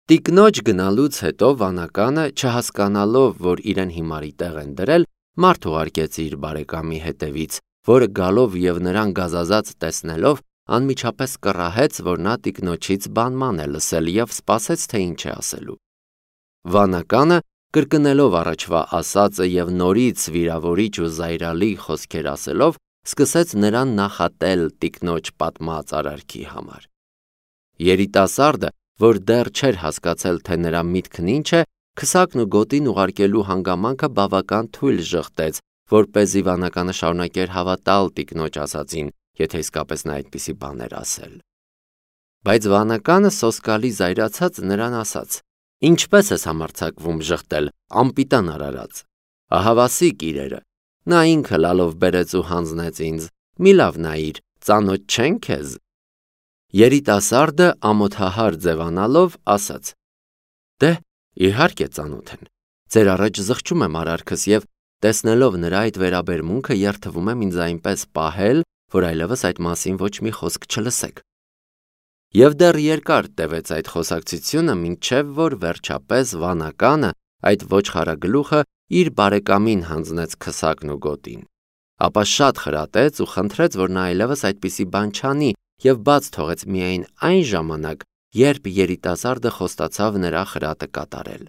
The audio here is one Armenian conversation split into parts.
Տիկնոջ գնալուց հետո վանականը, չհասկանալով, որ իրեն հիմարի տեղ են դրել, մարդ ուղարկեց իր բարեկամի հետևից, որը գալով և նրան գազազած տեսնելով, անմիջապես կռահեց, որ նա տիկնոջից բանման է լսել և սպասեց, թե ինչ է ասելու։ Վանականը, կրկնելով առաջվա ասածը և նորից վիրավորիչ ու զայրալի խոսքեր ասելով, սկսեց նրան նախատել տիկնոջ պատմած արարքի համար։ Երիտասարդը, որ դեռ չէր հասկացել, թե նրա միտքն ինչ է, քսակն ու գոտին ուղարկելու հանգամանքը բավական թույլ ժխտեց, որպեսզի վանականը շարունակեր հավատալ տիկնոջ ասածին, եթե իսկապես նա այդպիսի բաներ ասել։ Բայց վանականը սոսկալի զայրացած նրան ասաց. «Ինչպես ես համարձակվում ժխտել, անպիտան արարած։ Ահավասիկ իրերը, նա ինքը լալով բերեց ու հանձնեց ինձ, մի լավ նայիր, ծանոթ չեն քեզ»։ Երիտասարդը ամոթահար ձևանալով ասաց. «Դե, իհարկե ծանոթ են, ձեր առաջ զղջում եմ արարքս և տեսնելով նրա այդ վերաբերմունքը երդվում եմ ինձ այնպես պահել, որ այլևս այդ մասին ոչ մի խոսք չլսեք»։ Եվ դեռ երկար տևեց այդ խոսակցությունը, մինչև որ վերջապես վանականը, այդ ոչխարագլուխը, իր բարեկամին հանձնեց քսակն ու գոտին, ապա շատ խրատեց ու խնդրեց, որ նա այլևս այդպիսի բան չանի և բաց թողեց միայն այն ժամանակ, երբ երիտասարդը խոստացավ նրա խրատը կատարել։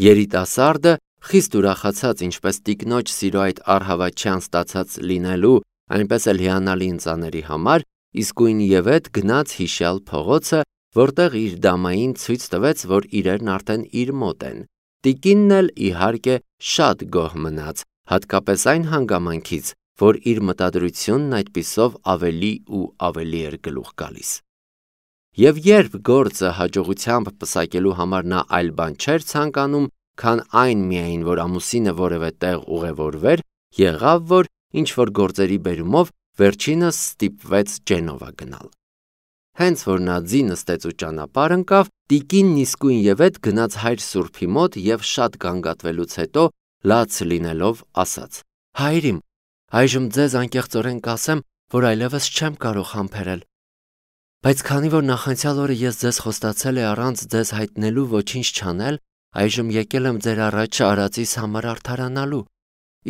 Երիտասարդը, խիստ ուրախացած ինչպես տիկնոջ սիրո այդ առհավատչյան ստացած լինելու, այնպես էլ հիանալի ընծաների համար, իսկույնևեթ գնաց հիշյալ փողոցը, որտեղ իր դամային ցույց տվեց, որ իրերն արդեն իր մոտ են։ Տիկինն էլ, իհարկե, շատ գոհ մնաց, հատկապես այն հանգամանքից, որ իր մտադրությունն այդպիսով ավելի ու ավելի էր գլուխ գալիս։ Եվ երբ գործը հաջողությամբ պսակելու համար նա այլ բան չէր ցանկանում, քան այն միայն, որ ամուսինը որևէ տեղ ուղևորվեր, եղավ, որ ինչ-որ գործերի բերումով վերջինս ստիպվեց Ջենովա գնալ։ Հենց որ նա ձի նստեց ու ճանապարհ ընկավ, տիկինն իսկույնևեթ գնաց հայր սուրբի մոտ և շատ գանգատվելուց հետո, լաց լինելով, ասաց. «Հայր իմ, այժմ ձեզ անկեղծորեն կասեմ, որ այլևս չեմ կարող համբերել, բայց քանի որ նախանցյալ օրը ես ձեզ խոստացել եմ առանց ձեզ հայտնելու ոչինչ չանել, այժմ եկել եմ ձեր առաջ արածիս համար արդարանալու։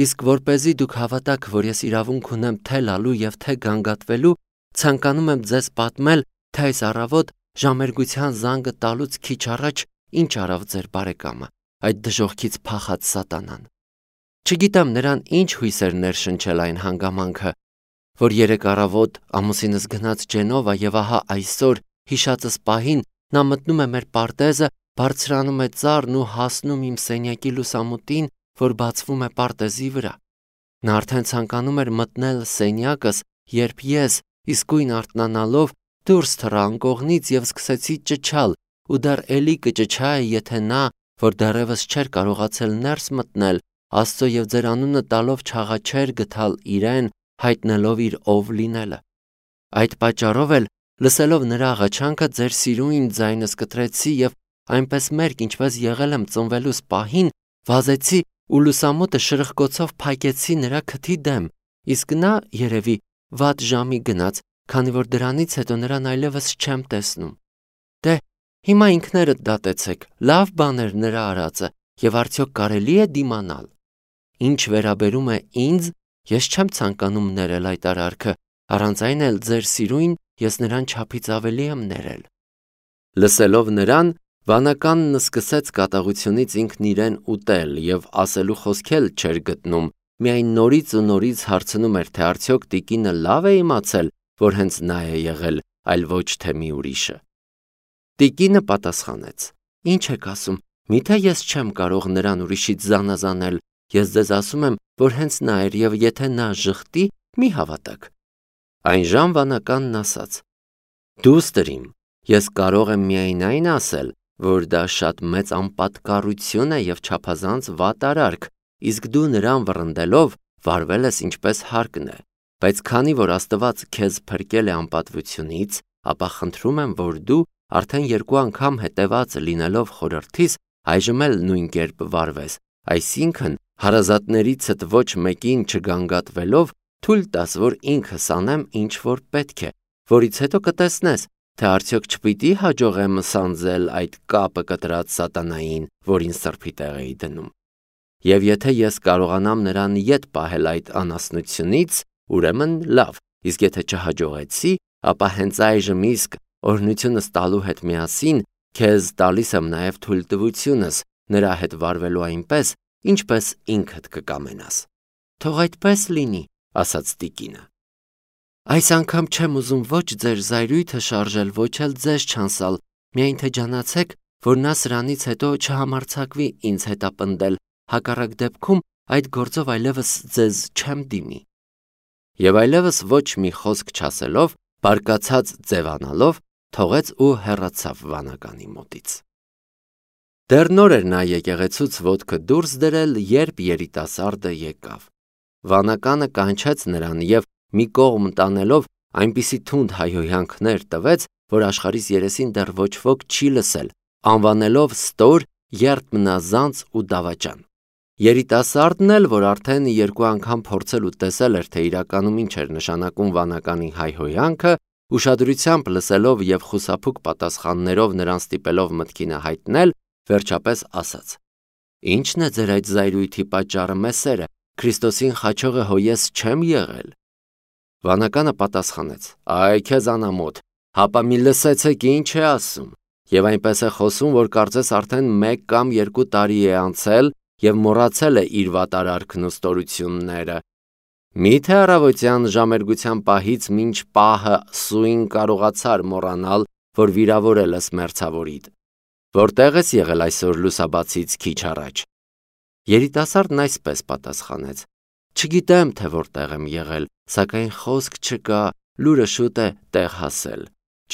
Իսկ որպեսզի դուք հավատաք, որ ես իրավունք ունեմ թե լալու և թե գանգատվելու, ցանկանում եմ ձեզ պատմել, թե այս առավոտ ժամերգության զանգը տալուց քիչ առաջ ինչ արավ ձեր բարեկամը, այդ դժոխքից փախած սատանան։ Չգիտեմ նրան ինչ հույսեր ներշնչել այն հանգամանքը, որ երեկ առավոտ ամուսինս գնաց Ջենովա և ահա այսօր հիշածս պահին նա մտնում է մեր պարտեզը, բարձրանում է ծառն ու հասնում իմ սենյակի լուսամուտին, որ բացվում է պարտեզի վրա։ Նա արդեն ցանկանում էր մտնել սենյակս, երբ ես, իսկույն արթնանալով, դուրս թռա անկողնից և սկսեցի ճչալ, ու դեռ էլի կճչայի, եթե նա, որ դեռևս չէր կարողացել ներս մտնել, Աստծո և ձեր անունը տալով չաղաչեր գտալ իրեն, հայտնելով իր ով լինելը։ Այդ պատճառով էլ, լսելով նրա աղաչանքը, ձեր սիրուն ձայնս կտրեցի և այնպես մերկ, ինչպես եղել եմ ծնվելուս պահին, վազեցի ու լուսամուտը շրխկոցով փակեցի նրա քթի դեմ, իսկ նա, երևի, վատ ժամի գնաց, քանի որ դրանից հետո նրան այլևս չեմ տեսնում։ Դե, հիմա ինքներդ դատեցեք, լավ բան էր նրա արածը, և արդյոք կարելի է դիմանալ։ Ինչ վերաբերում է ինձ, ես չեմ ցանկանում ներել այդ արարքը, առանց այն էլ ձեր սիրուն ես նրան չափից ավելի եմ ներել։ Լսելով նրան, վանականն սկսեց կատաղությունից ինքն իրեն ուտել և ասելու խոսք էլ չէր գտնում, միայն նորից ու նորից հարցնում էր, թե արդյոք տիկինը լավ է իմացել, որ հենց նա է եղել, այլ ոչ թե մի ուրիշը։ Տիկինը պատասխանեց. «Ինչ եք ասում, միթե ես չեմ կարող նրան ուրիշից զանազանել, ես ձեզ ասում եմ, որ հենց նա էր և եթե նա ժխտի, մի հավատաք»։ Այնժամ վանականն ասաց. «Դուստր իմ, ես կարող եմ միայն այն ասել, որ դա շատ մեծ անպատկառություն է և չափազանց վատ արարք, իսկ դու նրան վռնդելով վարվել ես ինչպես հարկն է, բայց քանի որ Աստված քեզ փրկել է անպատվությունից, ապա խնդրում եմ, որ դու, արդեն 2 անգամ հետևած լինելով խորհրդիս, այժմ էլ նույն կերպ վարվես, այսինքն հարազատներիցդ ոչ մեկին չգանգատվելով, թույլ տաս, որ ինքս անեմ, ինչ որ պետք է, որից հետո կտեսնես, թե արդյոք չպիտի հաջողեմ սանձել այդ կապը կտրած սատանային, որին սրբի տեղ էի դնում։ Եվ եթե ես կարողանամ նրան ետ պահել այդ անասնությունից, ուրեմն լավ, իսկ եթե չհաջողեցի, ապա հենց այժմ իսկ օրհնությունս տալու հետ միասին քեզ տալիս եմ նաև թույլտվությունս նրա հետ վարվելու այնպես, ինչպես ինքդ կկամենաս։ Թող այդպես լինի, ասաց տիկինը։ Այս անգամ չեմ ուզում ոչ ձեր զայրույթը շարժել, ոչ էլ ձեզ չանսալ, միայն թե ջանացեք, որ նա սրանից հետո չհամարձակվի ինձ հետապնդել, հակառակ դեպքում այդ գործով այլևս ձեզ չեմ դիմի։ Եվ այլևս ոչ մի խոսք չասելով, բարկացած ձևանալով, թողեց ու հեռացավ վանականի մոտից։ Դեռ նոր էր նա եկեղեցուց ոտքը դուրս դրել, երբ երիտասարդը եկավ։ Վանականը կանչեց նրան և մի կողմ տանելով այնպիսի թունդ հայհոյանքներ տվեց, որ աշխարհիս երեսին դեռ ոչ ոք չի լսել, անվանելով ստոր, երդմնազանց ու դավաճան։ Երիտասարդն էլ, որ արդեն երկու անգամ փորձել ու տեսել էր, թե իրականում ինչ էր նշանակում վանականի հայհոյանքը, ուշադրությամբ լսելով և խուսափուկ պատասխաններով նրան ստիպելով մտքինը հայտնել, վերջապես ասաց. Ի՞նչն է ձեր այդ զայրույթի պատճառը, մեսերը, Քրիստոսին խաչողը հո ես չեմ եղել։ Վանականը պատասխանեց. Այ քեզ անամոթ, հապա մի լսեցեք ինչ է ասում, և այնպես է խոսում, որ կարծես արդեն 1 կամ 2 տարի է անցել և մոռացել է իր վատարարքն ու ստորությունները։ Միթե առավոտյան ժամերգության պահից մինչ պահը սույն կարողացար մոռանալ, որ վիրավորել ես մերձավորիդ։ Որտեղ ես եղել այսօր լուսաբացից քիչ առաջ։ Երիտասարդն այսպես պատասխանեց. Չգիտեմ, թե որտեղ եմ եղել, սակայն խոսք չկա, լուրը շուտ է տեղ հասել։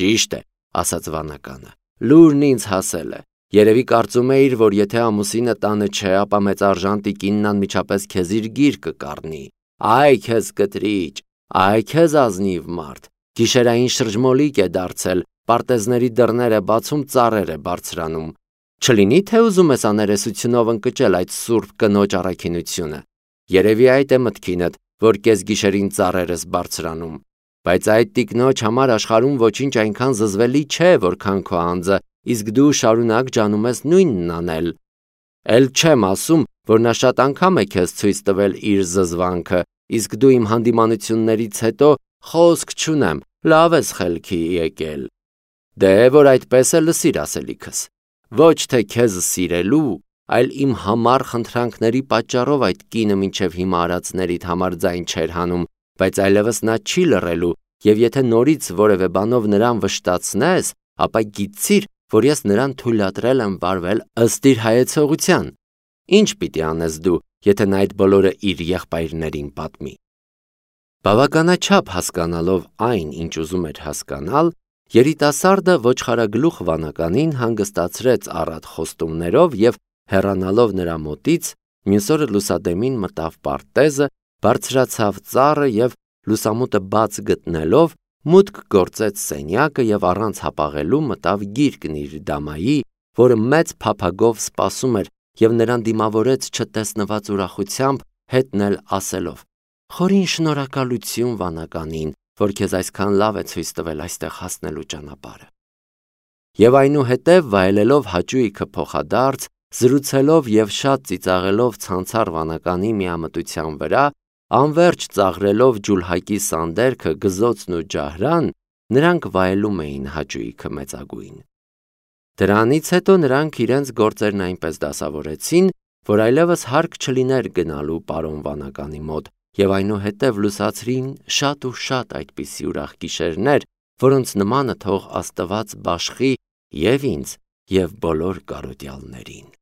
Ճիշտ է, ասաց վանականը, լուրն ինձ հասել է։ Երևի կարծում էիր, որ եթե ամուսինը տանը չէ, ապա մեծարժան տիկինն անմիջապես քեզ իր գիրկը կառնի։ Այ քեզ կտրիճ, այ քեզ ազնիվ մարդ, գիշերային շրջմոլիկ է դարձել, պարտեզների դռներ է բացում, ծառեր է բարձրանում։ Չլինի, թե ուզում ես աներեսությունով ընկճել այդ սուրբ կնոջ առաքինությունը։ Երևի այդ է մտքինդ, որ կեսգիշերին ծառեր ես բարձրանում։ Բայց այդ տիկնոջ համար աշխարհում ոչինչ այնքան զզվելի չէ, որքան քո անձը, իսկ դու շարունակ ջանում ես նույնն անել։ Էլ չեմ ասում, որ նա շատ անգամ է քեզ ցույց տվել իր զզվանքը, իսկ դու իմ հանդիմանություններից հետո խոսք չունեմ, լավ ես խելքի եկել։ Դե որ այդպես է, լսիր ասելիքս։ Ոչ թե քեզ սիրելու, այլ իմ համառ խնդրանքների պատճառով այդ կինը մինչև հիմա արածներիդ համար ձայն չէր հանում, բայց այլևս նա չի լռելու, և եթե նորից որևէ բանով նրան վշտացնես, ապա գիտցիր, որ ես նրան թույլատրել եմ վարվել ըստ իր հայեցողության։ Ինչ պիտի անես դու, եթե նա այդ բոլորը իր եղբայրներին պատմի։ Բավականաչափ հասկանալով այն, ինչ ուզում էր հասկանալ, երիտասարդը ոչխարագլուխ վանականին հանգստացրեց առատ խոստումներով և հեռանալով նրա մոտից, մյուս օրը լուսադեմին մտավ պարտեզը, բարձրացավ ծառը և լուսամուտը բաց գտնելով, մուտք գործեց սենյակը և առանց հապաղելու մտավ գիրկն իր դամայի, որը մեծ փափագով սպասում էր և նրան դիմավորեց չտեսնված ուրախությամբ, հետն էլ ասելով. Խորին շնորհակալություն վանականին, որ քեզ այսքան լավ է ցույց տվել այստեղ հասնելու ճանապարհը։ Եվ այնուհետև վայելելով հաճույքը փոխադարձ, զրուցելով և շատ ծիծաղելով ցանցառ վանականի միամտության վրա, անվերջ ծաղրելով ջուլհակի սանդերքը, գզոցն ու ջահրան, նրանք վայելում էին հաճույքը մեծագույն։ Դրանից հետո նրանք իրենց գործերն այնպես դասավորեցին, որ այլևս հարկ չլիներ գնալու պարոն վանականի մոտ, և այնուհետև լուսացրին շատ ու շատ այդպիսի ուրախ գիշերներ, որոնց նմանը թող Աստված բաշխի և ինձ, և բոլոր կարոտյալներին։